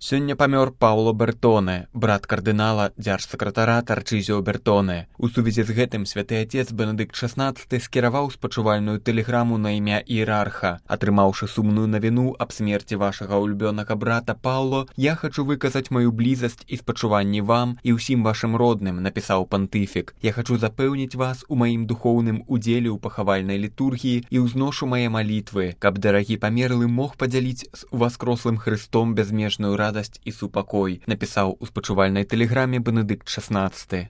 Сёння памёр Пауло Бертоне, брат кардынала, дзяржсакратара Тарчызіо Бертоне. У сувязі з гэтым святы отец Бенедыкт XVI скіраваў спачувальную тэлеграму на імя іерарха. Атрымаўшы сумную навіну аб смерці вашага улюбёнага брата Пауло, я хачу выказаць маю блізасць і спачуванні вам і ўсім вашым родным, напісаў пантыфік. Я хачу запэўніць вас у маім духоўным удзеле ў пахавальнай літургіі і ўзношу мае малітвы, каб дарагі памерлы мог падзяліць з уваскрослым Хрыстом бязмежную радасць і супакой, напісаў у спачувальнай тэлеграме Бенедыкт XVI.